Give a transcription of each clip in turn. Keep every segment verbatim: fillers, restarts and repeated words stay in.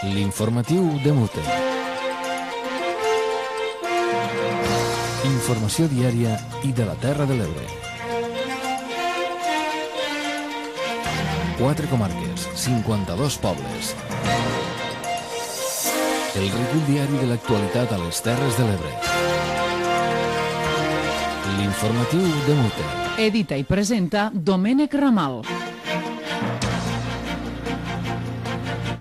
L'informatiu de Mute. Informació diària i de la Terra de l'Ebre. Quatre comarques, cinquanta-dos pobles. El recull diari de l'actualitat a les Terres de l'Ebre. L'informatiu de Mute. Edita i presenta Domènec Ramal.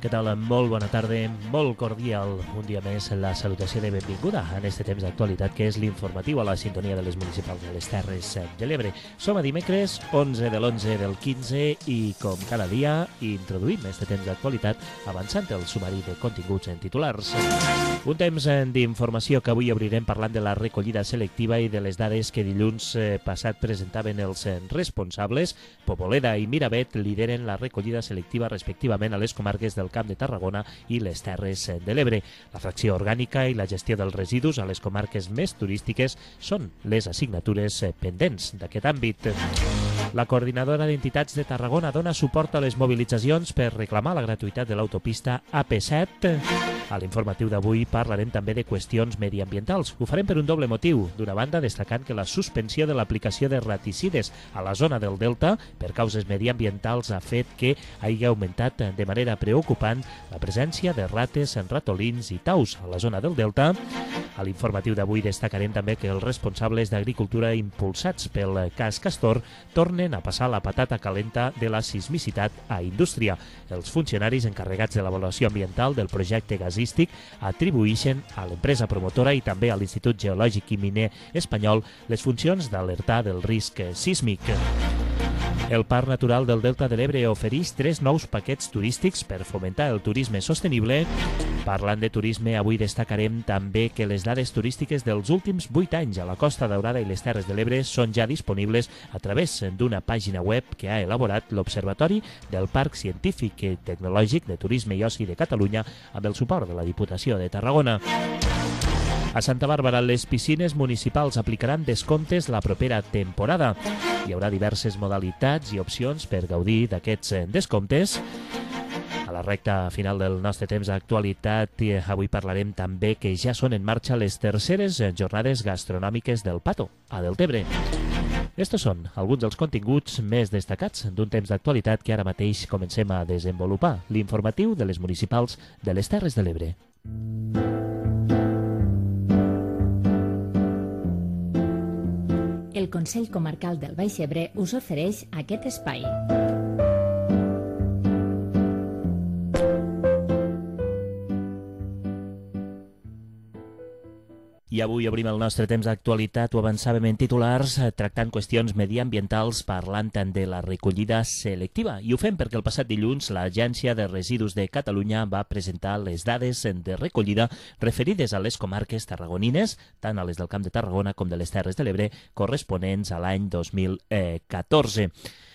Què tal? Molt bona tarda, molt cordial. Un dia més la salutació de benvinguda en este temps d'actualitat que és l'informatiu a la sintonia de les municipals de les Terres de l'Ebre. Som a dimecres, onze de l'onze del quinze i com cada dia introduïm este temps d'actualitat avançant el sumari de continguts en titulars. Un temps d'informació que avui obrirem parlant de la recollida selectiva i de les dades que dilluns passat presentaven els responsables. Poboleda i Miravet lideren la recollida selectiva respectivament a les comarques del Camp de Tarragona i les Terres de l'Ebre. La fracció orgànica i la gestió dels residus a les comarques més turístiques són les assignatures pendents d'aquest àmbit. La coordinadora d'entitats de Tarragona dona suport a les mobilitzacions per reclamar la gratuïtat de l'autopista A P set. A l'informatiu d'avui parlarem també de qüestions mediambientals. Ho farem per un doble motiu. D'una banda, destacant que la suspensió de l'aplicació de raticides a la zona del Delta per causes mediambientals ha fet que hagi augmentat de manera preocupant la presència de rates, ratolins i taus a la zona del Delta. A l'informatiu d'avui destacarem també que els responsables d'agricultura impulsats pel cas Castor tornen a passar la patata calenta de la sismicitat a indústria. Els funcionaris encarregats de l'avaluació ambiental del projecte gasístic atribueixen a l'empresa promotora i també a l'Institut Geològic i Miner espanyol les funcions d'alertar del risc sísmic. El Parc Natural del Delta de l'Ebre ofereix tres nous paquets turístics per fomentar el turisme sostenible. Parlant de turisme, avui destacarem també que les dades turístiques dels últims vuit anys a la Costa Daurada i les Terres de l'Ebre són ja disponibles a través d'una pàgina web que ha elaborat l'Observatori del Parc Científic i Tecnològic de Turisme i Oci de Catalunya amb el suport de la Diputació de Tarragona. A Santa Bàrbara, les piscines municipals aplicaran descomptes la propera temporada. Hi haurà diverses modalitats i opcions per gaudir d'aquests descomptes. A la recta final del nostre temps d'actualitat, avui parlarem també que ja són en marxa les terceres jornades gastronòmiques del Pato, a Deltebre. Estos són alguns dels continguts més destacats d'un temps d'actualitat que ara mateix comencem a desenvolupar, l'informatiu de les municipals de les Terres de l'Ebre. El Consell Comarcal del Baix Ebre us ofereix aquest espai. I avui obrim el nostre temps d'actualitat, ho avançàvem en titulars, tractant qüestions mediambientals, parlant tant de la recollida selectiva. I ho fem perquè el passat dilluns l'Agència de Residus de Catalunya va presentar les dades de recollida referides a les comarques tarragonines, tant a les del Camp de Tarragona com de les Terres de l'Ebre, corresponents a l'any dos mil catorze.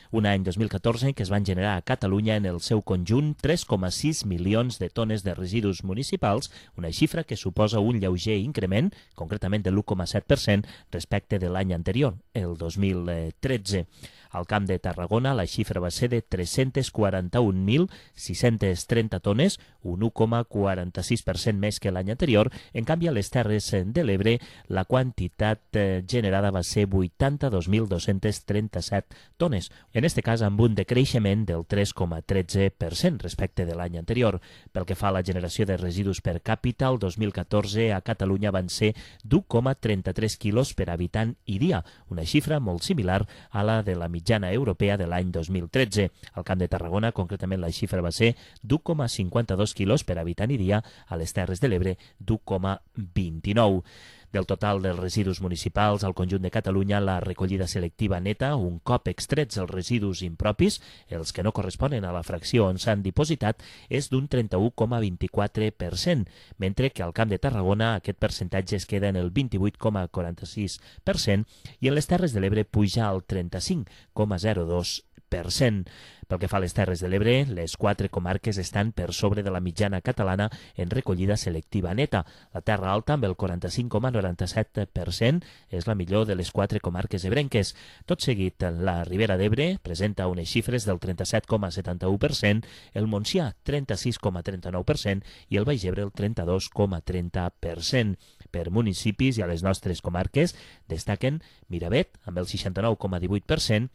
Un any dos mil catorze que es van generar a Catalunya en el seu conjunt tres coma sis milions de tones de residus municipals, una xifra que suposa un lleuger increment, concretament de l'u coma set per cent respecte de l'any anterior, el dos mil tretze. Al Camp de Tarragona la xifra va ser de tres-cents quaranta-un mil sis-cents trenta tones, un u coma quaranta-sis per cent més que l'any anterior. En canvi, a les Terres de l'Ebre la quantitat generada va ser vuitanta-dos mil dos-cents trenta-set tones, en aquest cas amb un decreixement del tres coma tretze per cent respecte de l'any anterior. Pel que fa a la generació de residus per càpita, el dos mil catorze a Catalunya van ser d'u coma trenta-tres quilos per habitant i dia, una xifra molt similar a la de la mitjana europea de l'any dos mil tretze. Al Camp de Tarragona, concretament, la xifra va ser d'u coma cinquanta-dos quilos per habitant i dia, a les Terres de l'Ebre d'u coma vint-i-nou. Del total dels residus municipals al conjunt de Catalunya, la recollida selectiva neta, un cop extrets els residus impropis, els que no corresponen a la fracció on s'han dipositat, és d'un trenta-u coma vint-i-quatre per cent, mentre que al Camp de Tarragona aquest percentatge es queda en el vint-i-vuit coma quaranta-sis per cent i en les Terres de l'Ebre puja al trenta-cinc coma zero dos per cent. Pel que fa a les Terres de l'Ebre, les quatre comarques estan per sobre de la mitjana catalana en recollida selectiva neta. La Terra Alta, amb el quaranta-cinc coma noranta-set per cent, és la millor de les quatre comarques ebrenques. Tot seguit, la Ribera d'Ebre presenta unes xifres del trenta-set coma setanta-u per cent, el Montsià, trenta-sis coma trenta-nou per cent i el Baix Ebre, el trenta-dos coma trenta per cent. Per municipis i a les nostres comarques destaquen Miravet, amb el seixanta-nou coma divuit per cent,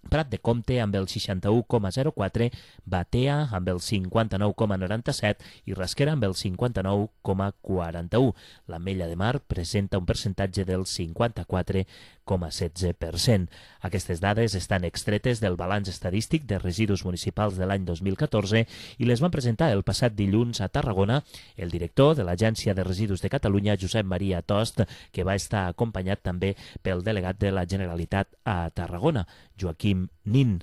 Prat de Comte amb el seixanta-u coma zero quatre, Batea amb el cinquanta-nou coma noranta-set i Rasquera amb el cinquanta-nou coma quaranta-u. L'Ametlla de Mar presenta un percentatge del cinquanta-quatre coma setze per cent. Aquestes dades estan extretes del balanç estadístic de residus municipals de l'any dos mil catorze i les van presentar el passat dilluns a Tarragona el director de l'Agència de Residus de Catalunya, Josep Maria Tost, que va estar acompanyat també pel delegat de la Generalitat a Tarragona, Joaquim Nin.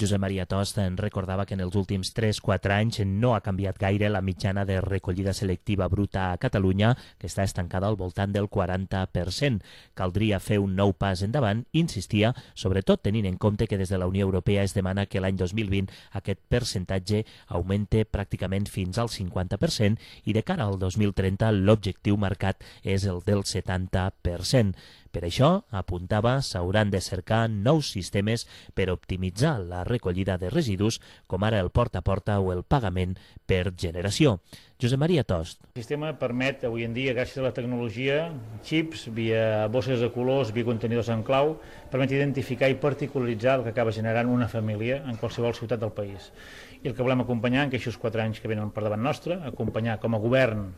Josep Maria Tost en recordava que en els últims tres quatre anys no ha canviat gaire la mitjana de recollida selectiva bruta a Catalunya, que està estancada al voltant del quaranta per cent. Caldria fer un nou pas endavant, insistia, sobretot tenint en compte que des de la Unió Europea es demana que l'any dos mil vint aquest percentatge augmente pràcticament fins al cinquanta per cent i de cara al dos mil trenta l'objectiu marcat és el del setanta per cent. Per això, apuntava, s'hauran de cercar nous sistemes per optimitzar la recollida de residus, com ara el porta a porta o el pagament per generació. Josep Maria Tost. El sistema permet, avui en dia, gràcies a la tecnologia, xips, via bosses de colors, via contenidors en clau, permet identificar i particularitzar el que acaba generant una família en qualsevol ciutat del país. I el que volem acompanyar en aquests quatre anys que venen per davant nostre, acompanyar com a govern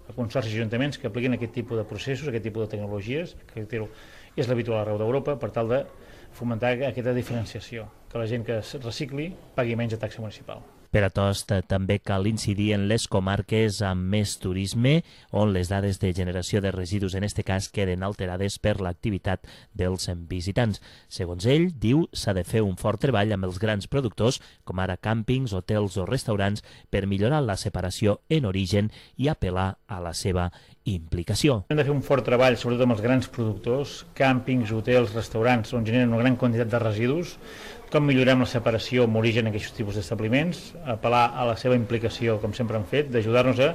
a consorcis i ajuntaments que apliquin aquest tipus de processos, aquest tipus de tecnologies, que és l'habitual arreu d'Europa, per tal de fomentar aquesta diferenciació, que la gent que es recicli pagui menys de taxa municipal. Per a Tost també cal incidir en les comarques amb més turisme, on les dades de generació de residus en aquest cas queden alterades per l'activitat dels visitants. Segons ell, diu, s'ha de fer un fort treball amb els grans productors, com ara càmpings, hotels o restaurants, per millorar la separació en origen i apel·lar a la seva implicació. Hem de fer un fort treball, sobretot amb els grans productors, càmpings, hotels, restaurants, on generen una gran quantitat de residus, com millorem la separació amb origen en aquests tipus d'establiments, apel·lar a la seva implicació, com sempre han fet, d'ajudar-nos a,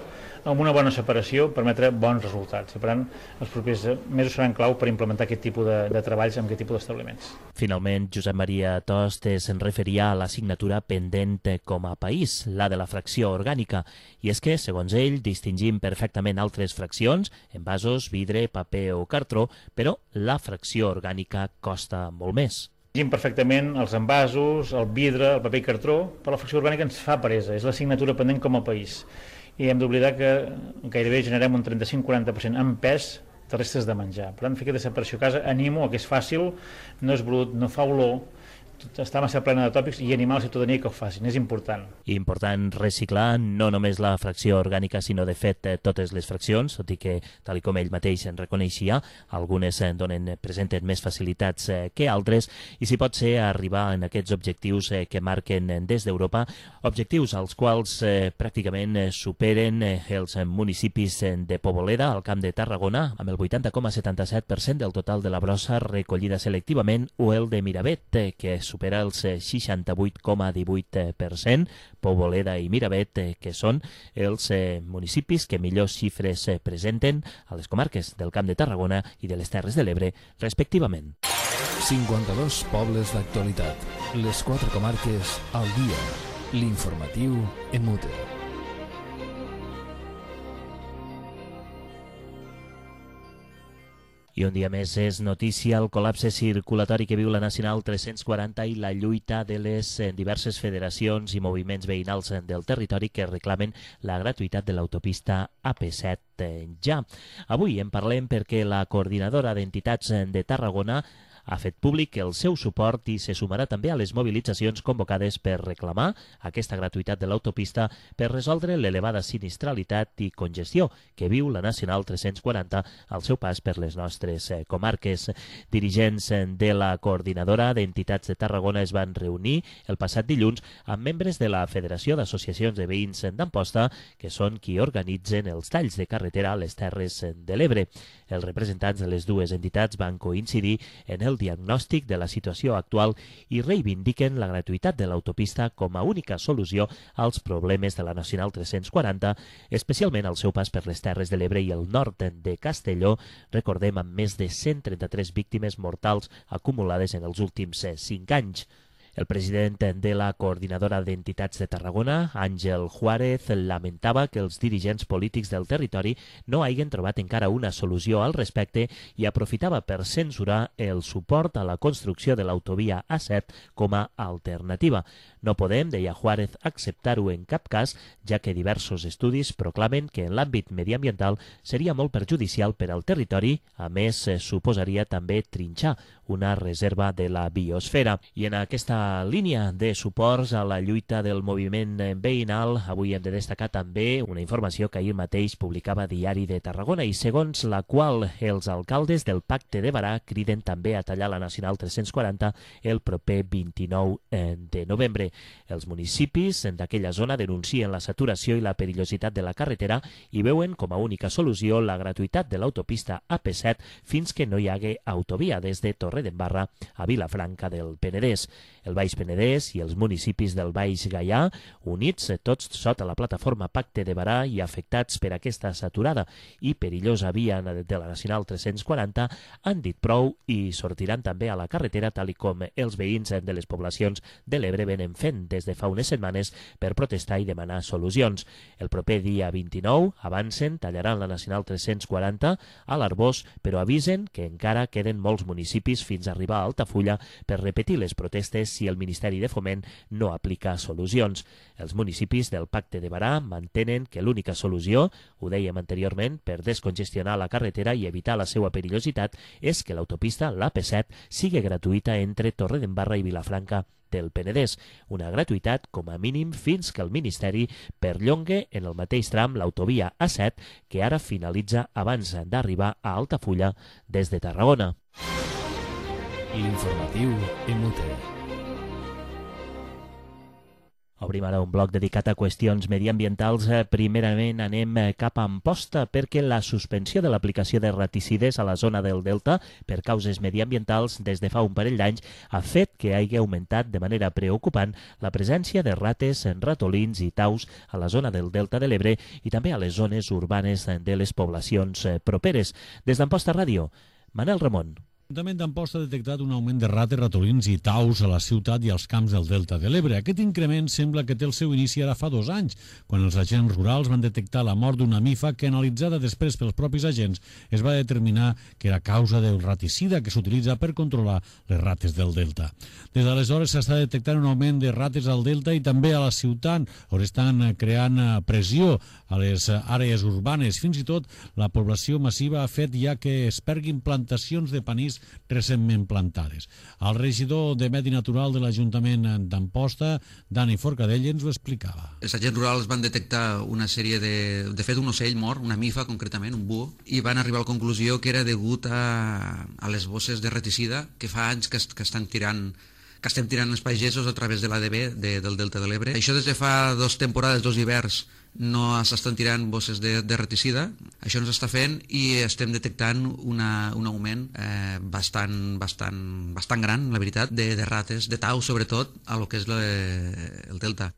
amb una bona separació, permetre bons resultats. Per tant, els propers mesos seran clau per implementar aquest tipus de, de treballs amb aquest tipus d'establiments. Finalment, Josep Maria Tost se'n referia a l'assignatura pendent com a país, la de la fracció orgànica, i és que, segons ell, distingim perfectament altres fraccions, envasos, vidre, paper o cartró, però la fracció orgànica costa molt més. Distingim perfectament els envasos, el vidre, el paper i cartró, però la fracció orgànica ens fa presa, és l'assignatura pendent com a país. I hem d'oblidar que gairebé generem un trenta-cinc a quaranta per cent en pes de restes de menjar. Per tant, fer aquesta separació a casa, animo a que és fàcil, no és brut, no fa olor, està massa plena de tòpics i animar la ciutadania que ho facin, és important. I important reciclar no només la fracció orgànica, sinó de fet totes les fraccions, tot i que, tal com ell mateix en reconeixia, algunes donen, presenten més facilitats que altres, i si pot ser arribar en aquests objectius que marquen des d'Europa, objectius als quals eh, pràcticament superen els municipis de Poboleda, al Camp de Tarragona, amb el vuitanta coma setanta-set per cent del total de la brossa recollida selectivament, o el de Miravet, que supera els seixanta-vuit coma divuit per cent, Poboleda i Miravet, que són els municipis que millors xifres presenten a les comarques del Camp de Tarragona i de les Terres de l'Ebre, respectivament. cinquanta-dos pobles d'actualitat. Les quatre comarques al dia. L'informatiu Emute. I un dia més és notícia el col·lapse circulatori que viu la Nacional tres-cents quaranta i la lluita de les diverses federacions i moviments veïnals del territori que reclamen la gratuïtat de l'autopista A P set ja. Avui en parlem perquè la coordinadora d'entitats de Tarragona ha fet públic el seu suport i se sumarà també a les mobilitzacions convocades per reclamar aquesta gratuïtat de l'autopista per resoldre l'elevada sinistralitat i congestió que viu la Nacional tres-cents quaranta al seu pas per les nostres comarques. Dirigents de la coordinadora d'entitats de Tarragona es van reunir el passat dilluns amb membres de la Federació d'Associacions de Veïns d'Amposta, que són qui organitzen els talls de carretera a les Terres de l'Ebre. Els representants de les dues entitats van coincidir en el el diagnòstic de la situació actual i reivindiquen la gratuïtat de l'autopista com a única solució als problemes de la Nacional tres-cents quaranta, especialment al seu pas per les Terres de l'Ebre i el nord de Castelló, recordem, amb més de cent trenta-tres víctimes mortals acumulades en els últims cinc anys. El president de la Coordinadora d'Entitats de Tarragona, Àngel Juárez, lamentava que els dirigents polítics del territori no hagin trobat encara una solució al respecte i aprofitava per censurar el suport a la construcció de l'autovia A set com a alternativa. No podem, deia Juárez, acceptar-ho en cap cas, ja que diversos estudis proclamen que en l'àmbit mediambiental seria molt perjudicial per al territori, a més suposaria també trinxar una reserva de la biosfera. I en aquesta línia de suports a la lluita del moviment veïnal, avui hem de destacar també una informació que ahir mateix publicava Diari de Tarragona i segons la qual els alcaldes del Pacte de Barà criden també a tallar la Nacional tres-cents quaranta el proper vint-i-nou de novembre. Els municipis d'aquella zona denuncien la saturació i la perillositat de la carretera i veuen com a única solució la gratuïtat de l'autopista A P set fins que no hi hagi autovia des de Torredembarra a Vilafranca del Penedès. El Baix Penedès i els municipis del Baix Gaià, units tots sota la plataforma Pacte de Barà i afectats per aquesta saturada i perillosa via de la Nacional tres-cents quaranta, han dit prou i sortiran també a la carretera tal i com els veïns de les poblacions de l'Ebre venen fent des de fa unes setmanes per protestar i demanar solucions. El proper dia vint-i-nou avancen, tallaran la Nacional tres-cents quaranta a l'Arbós, però avisen que encara queden molts municipis fins a arribar a Altafulla per repetir les protestes si el Ministeri de Foment no aplica solucions. Els municipis del Pacte de Barà mantenen que l'única solució, ho dèiem anteriorment, per descongestionar la carretera i evitar la seva perillositat és que l'autopista, l'A P set, sigui gratuïta entre Torredembarra i Vilafranca del Penedès, una gratuïtat com a mínim fins que el Ministeri perllongue en el mateix tram l'autovia A set que ara finalitza abans d'arribar a Altafulla des de Tarragona. L'informatiu M T. Obrim ara un bloc dedicat a qüestions mediambientals. Primerament anem cap a Amposta perquè la suspensió de l'aplicació de raticides a la zona del Delta per causes mediambientals des de fa un parell d'anys ha fet que hagi augmentat de manera preocupant la presència de rates, ratolins i taus a la zona del Delta de l'Ebre i també a les zones urbanes de les poblacions properes. Des d'Amposta Ràdio, Manel Ramon. L'Ajuntament d'Amposta ha detectat un augment de rates, ratolins i taus a la ciutat i als camps del Delta de l'Ebre. Aquest increment sembla que té el seu inici ara fa dos anys, quan els agents rurals van detectar la mort d'una mifa que, analitzada després pels propis agents, es va determinar que era causa del raticida que s'utilitza per controlar les rates del Delta. Des d'aleshores s'està detectant un augment de rates al Delta i també a la ciutat, on estan creant pressió a les àrees urbanes. Fins i tot la població massiva ha fet ja que es perguin plantacions de panís recentment plantades. El regidor de Medi Natural de l'Ajuntament d'Amposta, Dani Forcadell, ens ho explicava. Els agents rurals van detectar una sèrie de... De fet, un ocell mort, una mifa concretament, un búho, i van arribar a la conclusió que era degut a, a les bosses de reticida que fa anys que, que estan tirant que estem tirant els pagesos a través de l'A D B de, del Delta de l'Ebre. Això des de fa dues temporades, dos hiverns, no s'estan tirant bosses de, de reticida. Això ens està fent i estem detectant una, un augment eh, bastant, bastant, bastant gran, la veritat, de, de rates, de taus, sobretot, a lo que és la, el Delta.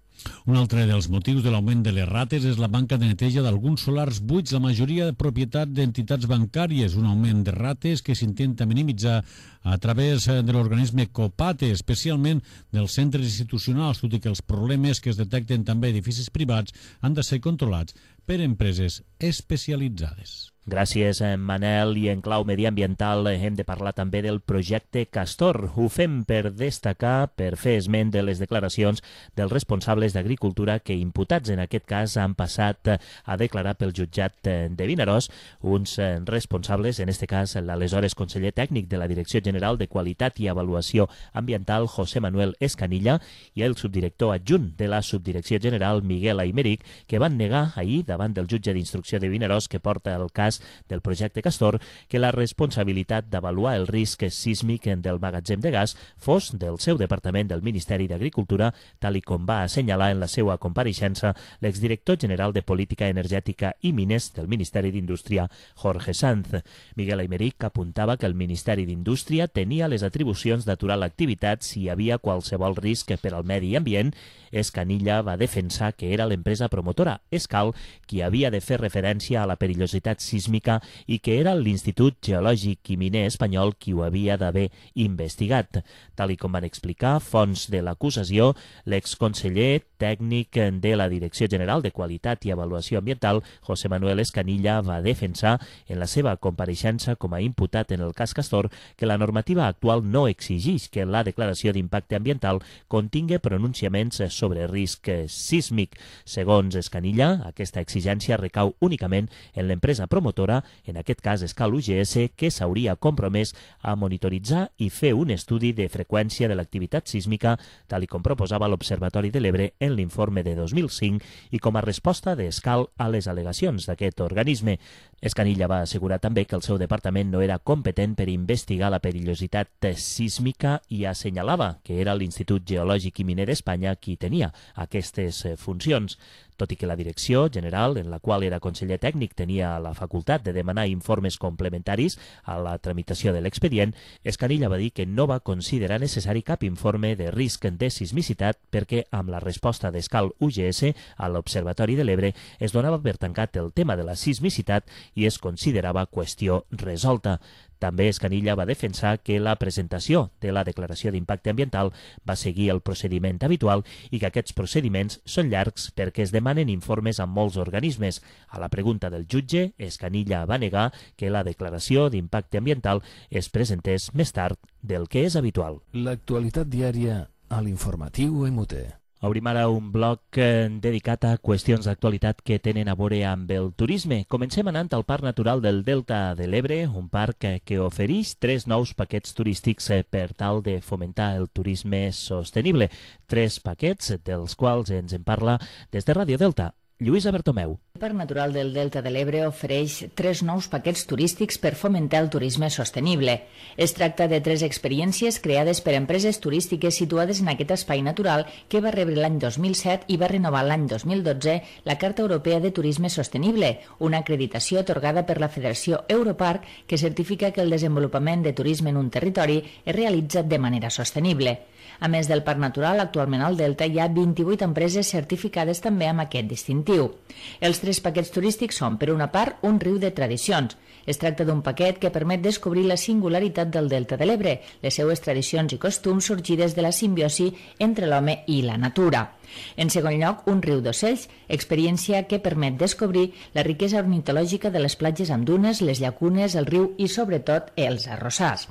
Un altre dels motius de l'augment de les rates és la manca de neteja d'alguns solars buits, la majoria de propietat d'entitats bancàries, un augment de rates que s'intenta minimitzar a través de l'organisme COPATE, especialment dels centres institucionals, tot i que els problemes que es detecten també a edificis privats han de ser controlats per empreses especialitzades. Gràcies, Manel. I en clau mediambiental hem de parlar també del projecte Castor. Ho fem per destacar, per fer esment de les declaracions dels responsables d'Agricultura que, imputats en aquest cas, han passat a declarar pel jutjat de Vinaròs, uns responsables, en aquest cas l'aleshores conseller tècnic de la Direcció General de Qualitat i Avaluació Ambiental, José Manuel Escanilla, i el subdirector adjunt de la Subdirecció General, Miguel Aymeric, que van negar ahir davant del jutge d'instrucció de Vinaròs que porta el cas cas del projecte Castor que la responsabilitat d'avaluar el risc sísmic del magatzem de gas fos del seu departament del Ministeri d'Agricultura, tal i com va assenyalar en la seva compareixença l'exdirector general de Política Energètica i Mines del Ministeri d'Indústria, Jorge Sanz. Miguel Aymeric apuntava que el Ministeri d'Indústria tenia les atribucions d'aturar l'activitat si hi havia qualsevol risc per al medi ambient. Escanilla va defensar que era l'empresa promotora Escal qui havia de fer referència a la perillositat sísmica i que era l'Institut Geològic i Miner espanyol qui ho havia d'haver investigat. Tal i com van explicar fonts de l'acusació, l'exconseller tècnic de la Direcció General de Qualitat i Avaluació Ambiental, José Manuel Escanilla, va defensar en la seva compareixença com a imputat en el cas Castor que la normativa actual no exigeix que la declaració d'impacte ambiental contingui pronunciaments sobre risc sísmic. Segons Escanilla, aquesta exigència recau únicament en l'empresa promotora, en aquest cas Escal U G S, que s'hauria compromès a monitoritzar i fer un estudi de freqüència de l'activitat sísmica, tal i com proposava l'Observatori de l'Ebre en l'informe de dos mil cinc i com a resposta d'Escal a les al·legacions d'aquest organisme. Escanilla va assegurar també que el seu departament no era competent per investigar la perillositat sísmica i assenyalava que era l'Institut Geològic i Miner d'Espanya qui tenia aquestes funcions. Tot i que la Direcció General, en la qual era conseller tècnic, tenia la facultat de demanar informes complementaris a la tramitació de l'expedient, Escanilla va dir que no va considerar necessari cap informe de risc de sismicitat perquè amb la resposta d'Escal U G S a l'Observatori de l'Ebre es donava per tancat el tema de la sismicitat i es considerava qüestió resolta. També Escanilla va defensar que la presentació de la declaració d'impacte ambiental va seguir el procediment habitual i que aquests procediments són llargs perquè es demanen informes a molts organismes. A la pregunta del jutge, Escanilla va negar que la declaració d'impacte ambiental es presentés més tard del que és habitual. L'actualitat diària a l'informatiu M T. Obrim ara un bloc eh, dedicat a qüestions d'actualitat que tenen a veure amb el turisme. Comencem anant al Parc Natural del Delta de l'Ebre, un parc eh, que ofereix tres nous paquets turístics eh, per tal de fomentar el turisme sostenible. Tres paquets dels quals ens en parla des de Ràdio Delta. Lluïsa Bertomeu. El Parc Natural del Delta de l'Ebre ofereix tres nous paquets turístics per fomentar el turisme sostenible. Es tracta de tres experiències creades per empreses turístiques situades en aquest espai natural que va rebre l'any dos mil set i va renovar l'any dos mil dotze la Carta Europea de Turisme Sostenible, una acreditació atorgada per la Federació Europarc que certifica que el desenvolupament de turisme en un territori es realitza de manera sostenible. A més del Parc Natural, actualment al Delta hi ha vint-i-vuit empreses certificades també amb aquest distintiu. Els tres paquets turístics són, per una part, un riu de tradicions. Es tracta d'un paquet que permet descobrir la singularitat del Delta de l'Ebre, les seues tradicions i costums sorgides de la simbiosi entre l'home i la natura. En segon lloc, un riu d'ocells, experiència que permet descobrir la riquesa ornitològica de les platges amb dunes, les llacunes, el riu i, sobretot, els arrossars.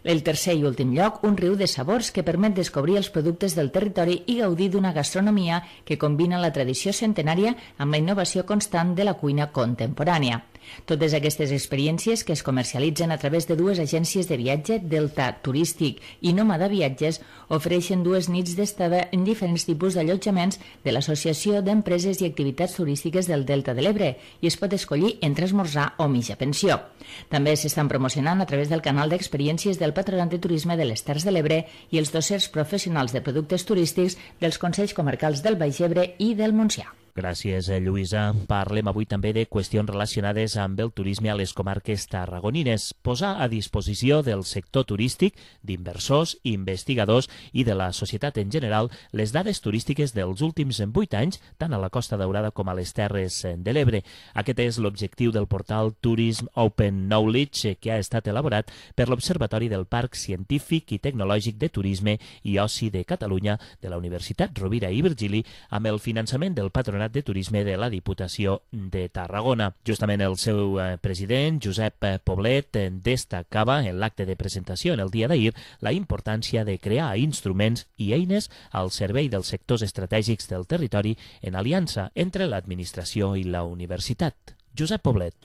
El tercer i últim lloc, un riu de sabors que permet descobrir els productes del territori i gaudir d'una gastronomia que combina la tradició centenària amb la innovació constant de la cuina contemporània. Totes aquestes experiències, que es comercialitzen a través de dues agències de viatge, Delta Turístic i Nòmada Viatges, ofereixen dues nits d'estada en diferents tipus d'allotjaments de l'Associació d'Empreses i Activitats Turístiques del Delta de l'Ebre i es pot escollir entre esmorzar o mitja pensió. També s'estan promocionant a través del canal d'experiències del Patronat de Turisme de les Terres de l'Ebre i els dossers professionals de productes turístics dels Consells Comarcals del Baix Ebre i del Montsià. Gràcies, Lluïsa. Parlem avui també de qüestions relacionades amb el turisme a les comarques tarragonines. Posar a disposició del sector turístic, d'inversors, investigadors i de la societat en general les dades turístiques dels últims vuit anys, tant a la Costa Daurada com a les Terres de l'Ebre. Aquest és l'objectiu del portal Tourism Open Knowledge que ha estat elaborat per l'Observatori del Parc Científic i Tecnològic de Turisme i Oci de Catalunya de la Universitat Rovira i Virgili amb el finançament del Patronat de Turisme de la Diputació de Tarragona. Justament el seu eh, president, Josep Poblet, eh, destacava en l'acte de presentació en el dia d'ahir la importància de crear instruments i eines al servei dels sectors estratègics del territori en aliança entre l'administració i la universitat. Josep Poblet.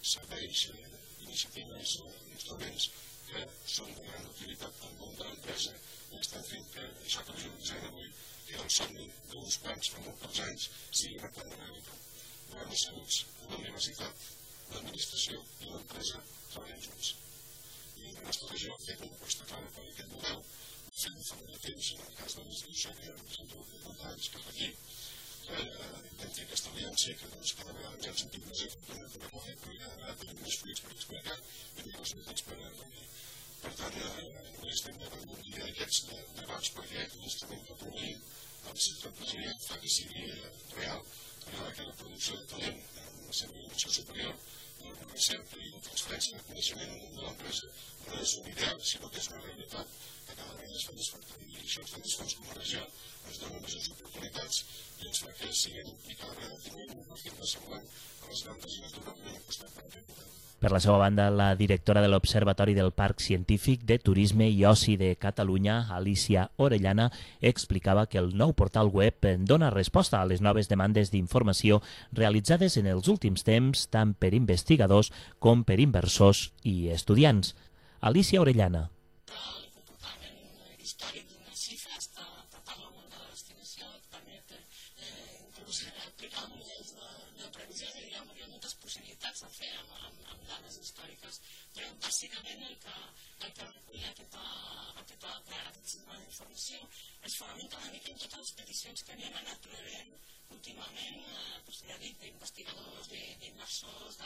Serveis, iniciatives, instruments que són de gran utilitat per al món de l'empresa i estan fent que això que visualitzem avui, que era el somni d'uns quants fa molts anys, sigui una realitat. govern de saluts, la universitat, l'administració i l'empresa treballen junts. I la nostra regió ha fet una aposta clara per aquest model, fent fa molt de temps, en el cas de l'institució que represento vuitanta anys, que és la llei, que vam fer aquesta aliança i que cada vegada ens hem sentit més afortunats de recollir, perquè ara tenim més fruits per explicar i més resultats per recollir. Per tant, no estem davant d'un dia d'aquests debats perquè l'instrument que proveïm el sector empresarial fa que sigui real, que la producció de talent, la seva innovació superior, la recerca i la transferència de coneixement al món de l'empresa no és un ideal, sinó que és una realitat que cada vegada es fa més fort. I això ens fa més forts com a regió, ens dona majors oportunitats i ens fa que siguem i cada vegada tinguem un perfil de semblant a les grandes i naturalment hem apostat per aquest model. Per la seva banda, la directora de l'Observatori del Parc Científic de Turisme i Oci de Catalunya, Alicia Orellana, explicava que el nou portal web dona resposta a les noves demandes d'informació realitzades en els últims temps tant per investigadors com per inversors i estudiants. Alicia Orellana. Bàsicament el que, el que recull aquesta, aquesta, aquest sistema d'informació es fonamenta una mica en totes les peticions que anem anat rebent últimament, eh, doncs ja dic, d'investigadors, d'inversors,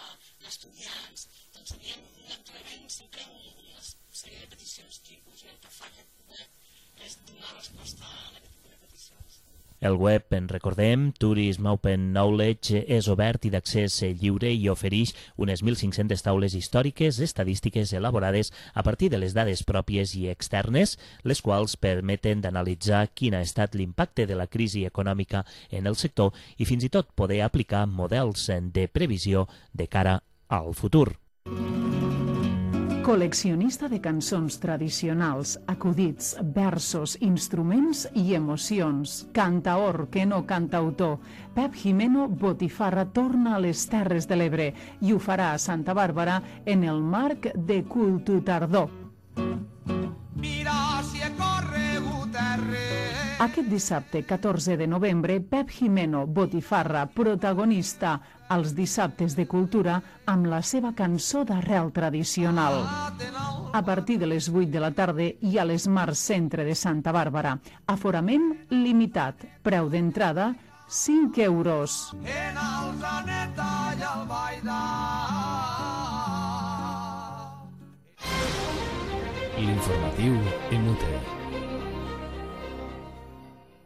d'estudiants, doncs anem anat rebent sempre una sèrie de peticions tipus i el que fa aquest web és donar resposta a aquest tipus de peticions. El web, en recordem, Tourism Open Knowledge, és obert i d'accés lliure i ofereix unes mil cinc-centes taules històriques estadístiques elaborades a partir de les dades pròpies i externes, les quals permeten d'analitzar quin ha estat l'impacte de la crisi econòmica en el sector i fins i tot poder aplicar models de previsió de cara al futur. Col·leccionista de cançons tradicionals, acudits, versos, instruments i emocions. Cantaor, que no cantautor. Pep Jimeno Botifarra torna a les Terres de l'Ebre i ho farà a Santa Bàrbara en el marc de Cultutardor. Mira si he corregut arreu. Aquest dissabte, catorze de novembre, Pep Jimeno Botifarra, protagonista als dissabtes de cultura amb la seva cançó d'arrel tradicional. A partir de les vuit de la tarda i a l'Esmar Centre de Santa Bàrbara. Aforament limitat. Preu d'entrada, cinc euros. En el Zaneta i el Baidà. L'informatiu Inútil.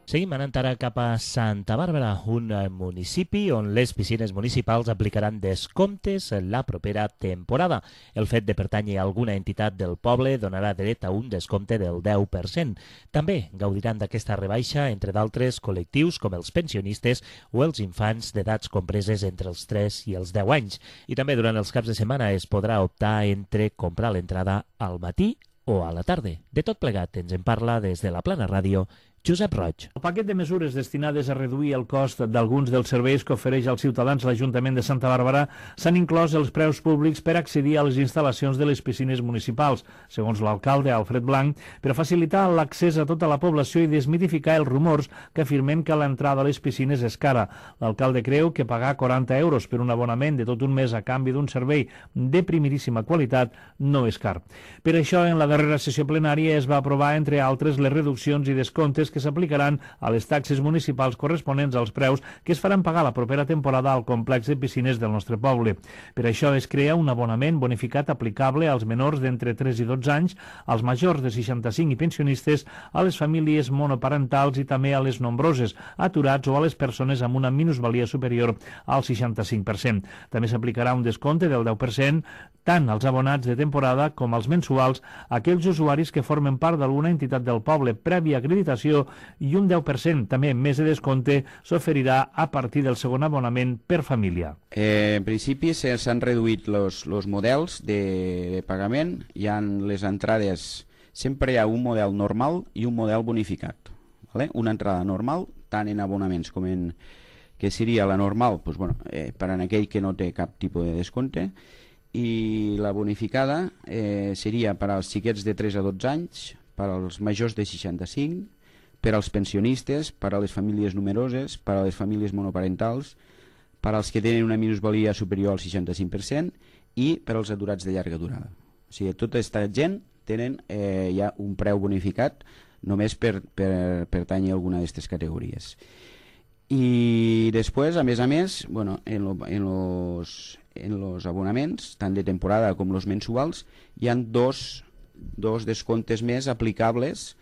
Seguim anant ara cap a Santa Bàrbara, un municipi on les piscines municipals aplicaran descomptes en la propera temporada. El fet de pertànyer a alguna entitat del poble donarà dret a un descompte del deu per cent. També gaudiran d'aquesta rebaixa, entre d'altres, col·lectius com els pensionistes o els infants d'edats compreses entre els tres i els deu anys. I també durant els caps de setmana es podrà optar entre comprar l'entrada al matí o a la tarda. De tot plegat ens en parla des de la Plana Ràdio Josep Roig. El paquet de mesures destinades a reduir el cost d'alguns dels serveis que ofereix als ciutadans l'Ajuntament de Santa Bàrbara s'han inclòs els preus públics per accedir a les instal·lacions de les piscines municipals, segons l'alcalde Alfred Blanc, per facilitar l'accés a tota la població i desmitificar els rumors que afirmen que l'entrada a les piscines és cara. L'alcalde creu que pagar quaranta euros per un abonament de tot un mes a canvi d'un servei de primeríssima qualitat no és car. Per això, en la darrera sessió plenària es va aprovar, entre altres, les reduccions i descomptes que s'aplicaran a les taxes municipals corresponents als preus que es faran pagar la propera temporada al complex de piscines del nostre poble. Per això es crea un abonament bonificat aplicable als menors d'entre tres i dotze anys, als majors de seixanta-cinc i pensionistes, a les famílies monoparentals i també a les nombroses, aturats o a les persones amb una minusvalia superior al seixanta-cinc per cent. També s'aplicarà un descompte del deu per cent tant als abonats de temporada com als mensuals, aquells usuaris que formen part d'alguna entitat del poble prèvia acreditació, i un deu per cent també més de descompte s'oferirà a partir del segon abonament per família. Eh, en principi s'han reduït els models de, de pagament. Hi ha les entrades, sempre hi ha un model normal i un model bonificat. ¿Vale? Una entrada normal, tant en abonaments com en que seria la normal, pues, bueno, eh, per a aquell que no té cap tipus de descompte, i la bonificada eh, seria per als xiquets de tres a dotze anys, per als majors de seixanta-cinc, per als pensionistes, per a les famílies numeroses, per a les famílies monoparentals, per als que tenen una minusvalia superior al seixanta-cinc per cent i per als aturats de llarga durada. O sigui, tota aquesta gent tenen eh, ja un preu bonificat només per, per pertànyer a alguna d'aquestes categories. I després, a més a més, bueno, en, lo, en, los, en los abonaments, tant de temporada com los mensuals, hi han dos, dos descomptes més aplicables,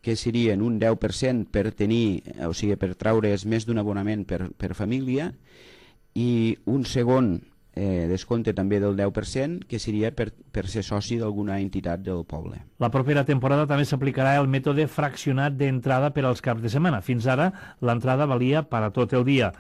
que serien un deu per cent per tenir, o sigui, per traure's més d'un abonament per, per família, i un segon eh, descompte també del deu per cent, que seria per, per ser soci d'alguna entitat del poble. La propera temporada també s'aplicarà el mètode fraccionat d'entrada per als caps de setmana. Fins ara, l'entrada valia per a tot el dia.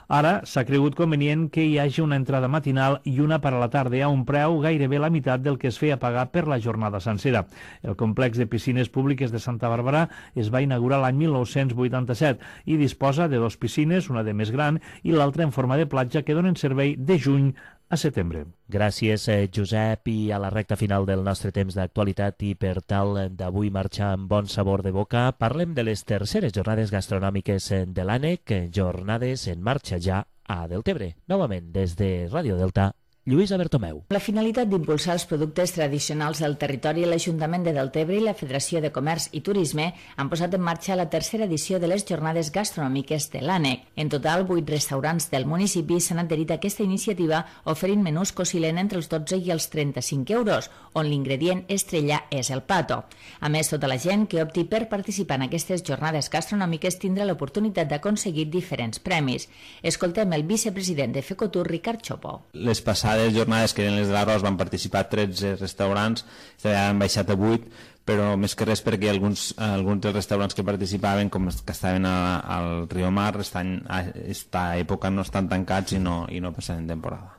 Ara s'ha cregut convenient que hi hagi una entrada matinal i una per a la tarda a un preu gairebé la meitat del que es feia pagar per la jornada sencera. El complex de piscines públiques de Santa Bàrbara es va inaugurar l'any mil nou-cents vuitanta-set i disposa de dues piscines, una de més gran i l'altra en forma de platja, que donen servei de juny a setembre. Gràcies, eh, Josep, i a la recta final del nostre temps d'actualitat i per tal d'avui marxar amb bon sabor de boca, parlem de les terceres jornades gastronòmiques de l'ANEC, jornades en marxa ja a Deltebre. Novament, des de Ràdio Delta, Lluïsa Bertomeu. La finalitat d'impulsar els productes tradicionals del territori, l'Ajuntament de Deltebre i la Federació de Comerç i Turisme han posat en marxa la tercera edició de les jornades gastronòmiques de l'ANEC. En total, vuit restaurants del municipi s'han adherit a aquesta iniciativa oferint menús que oscil·len entre els dotze i els trenta-cinc euros, on l'ingredient estrella és el pato. A més, tota la gent que opti per participar en aquestes jornades gastronòmiques tindrà l'oportunitat d'aconseguir diferents premis. Escoltem el vicepresident de Fecotur, Ricard Chopo. Les passades les jornades que eren les de l'arròs van participar tretze restaurants, han baixat a vuit, però més que res perquè alguns, alguns dels restaurants que participaven, com que estaven a, al Riomar, estan, a aquesta època no estan tancats i no, i no passen temporada.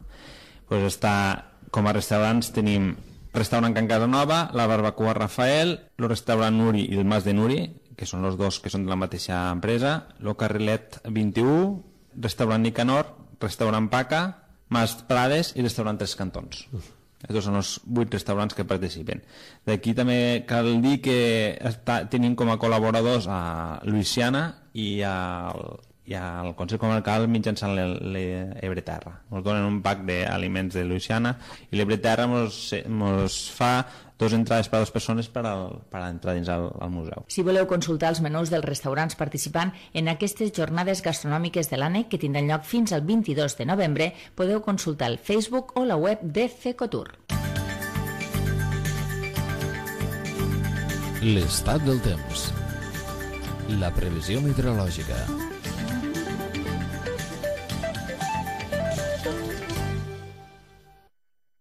Pues està, com a restaurants tenim el restaurant Can Casanova, la Barbacoa Rafael, el restaurant Nuri i el Mas de Nuri, que són els dos que són de la mateixa empresa, el Carrilet vint-i-u, restaurant Nicanor, restaurant Paca, Mas Prades i restaurant Tres Cantons. Aquests són els vuit restaurants que participen. D'aquí també cal dir que està, tenim com a col·laboradors a Luisiana i al, i al Consell Comarcal mitjançant l'Ebreterra. Ens donen un pack d'aliments de Luisiana i l'Ebreterra ens fa dos entrades per a les persones per, al, per a entrar dins al, al museu. Si voleu consultar els menús dels restaurants participant en aquestes jornades gastronòmiques de l'ANEC, que tindran lloc fins al vint-i-dos de novembre, podeu consultar el Facebook o la web de Fecotur. L'estat del temps. La previsió meteorològica.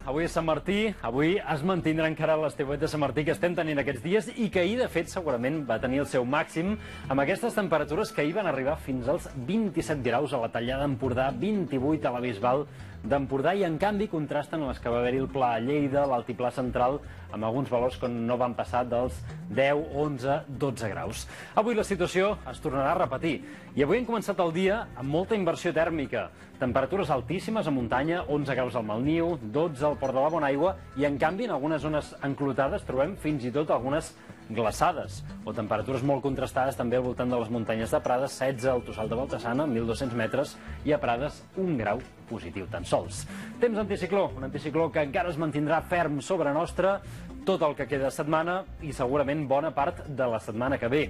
Avui és Sant Martí, avui es mantindrà encara l'estiuet de Sant Martí que estem tenint aquests dies i que ahir, de fet, segurament va tenir el seu màxim amb aquestes temperatures que ahir van arribar fins als vint-i-set graus a la Tallada d'Empordà, vint-i-vuit a la Bisbal d'Empordà i, en canvi, contrasten les que va haver-hi el Pla a Lleida, l'Altiplà Central, amb alguns valors que no van passar dels deu, onze, dotze graus. Avui la situació es tornarà a repetir i avui hem començat el dia amb molta inversió tèrmica. Temperatures altíssimes a muntanya, onze graus al Malniu, dotze al Port de la Bonaigua i, en canvi, en algunes zones enclotades trobem fins i tot algunes glaçades o temperatures molt contrastades també al voltant de les muntanyes de Prades, setze al Tossal de Baltasana, mil dos-cents metres, i a Prades un grau positiu tan sols. Temps anticicló, un anticicló que encara es mantindrà ferm sobre nostra tot el que queda de setmana i segurament bona part de la setmana que ve.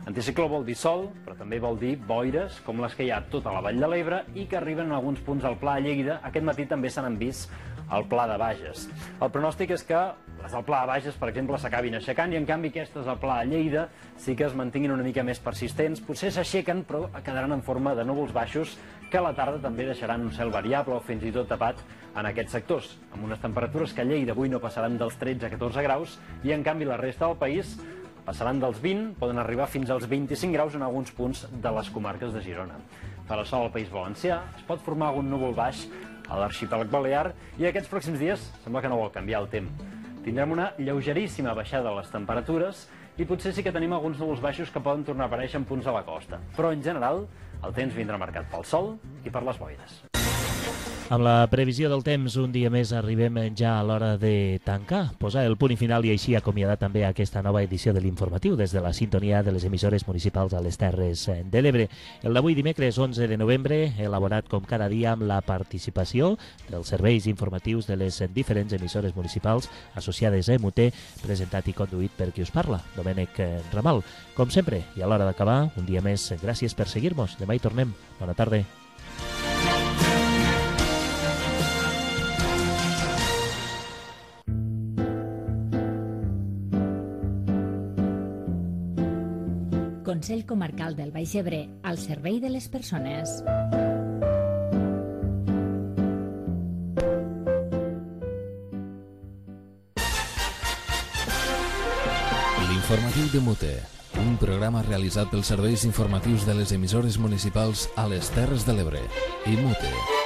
Anticicló vol dir sol, però també vol dir boires, com les que hi ha a tota la Vall de l'Ebre i que arriben en alguns punts al Pla a Lleida. Aquest matí també se n'han vist al Pla de Bages. El pronòstic és que les del Pla de Bages, per exemple, s'acabin aixecant i, en canvi, aquestes al Pla a Lleida sí que es mantinguin una mica més persistents. Potser s'aixequen, però quedaran en forma de núvols baixos que a la tarda també deixaran un cel variable o fins i tot tapat en aquests sectors, amb unes temperatures que a Lleida avui no passaran dels tretze a catorze graus i, en canvi, la resta del país passaran dels vint, poden arribar fins als vint-i-cinc graus en alguns punts de les comarques de Girona. Farà sol al País Valencià, es pot formar algun núvol baix a l'arxipèlag balear i aquests pròxims dies sembla que no vol canviar el temps. Tindrem una lleugeríssima baixada de les temperatures i potser sí que tenim alguns núvols baixos que poden tornar a aparèixer en punts de la costa. Però, en general, el temps vindrà marcat pel sol i per les boires. Amb la previsió del temps, un dia més arribem ja a l'hora de tancar, posar el punt i final i així acomiadar també aquesta nova edició de l'informatiu des de la sintonia de les emissores municipals a les Terres de l'Ebre. El d'avui dimecres onze de novembre, elaborat com cada dia amb la participació dels serveis informatius de les diferents emissores municipals associades a E M U T, presentat i conduït per qui us parla, Domènec Ramal. Com sempre, i a l'hora d'acabar, un dia més, gràcies per seguir-nos. Demà hi tornem. Bona tarda. Consell Comarcal del Baix Ebre, al servei de les persones. L'informatiu de Mute, un programa realitzat pels serveis informatius de les emissores municipals a les Terres de l'Ebre. I Mute.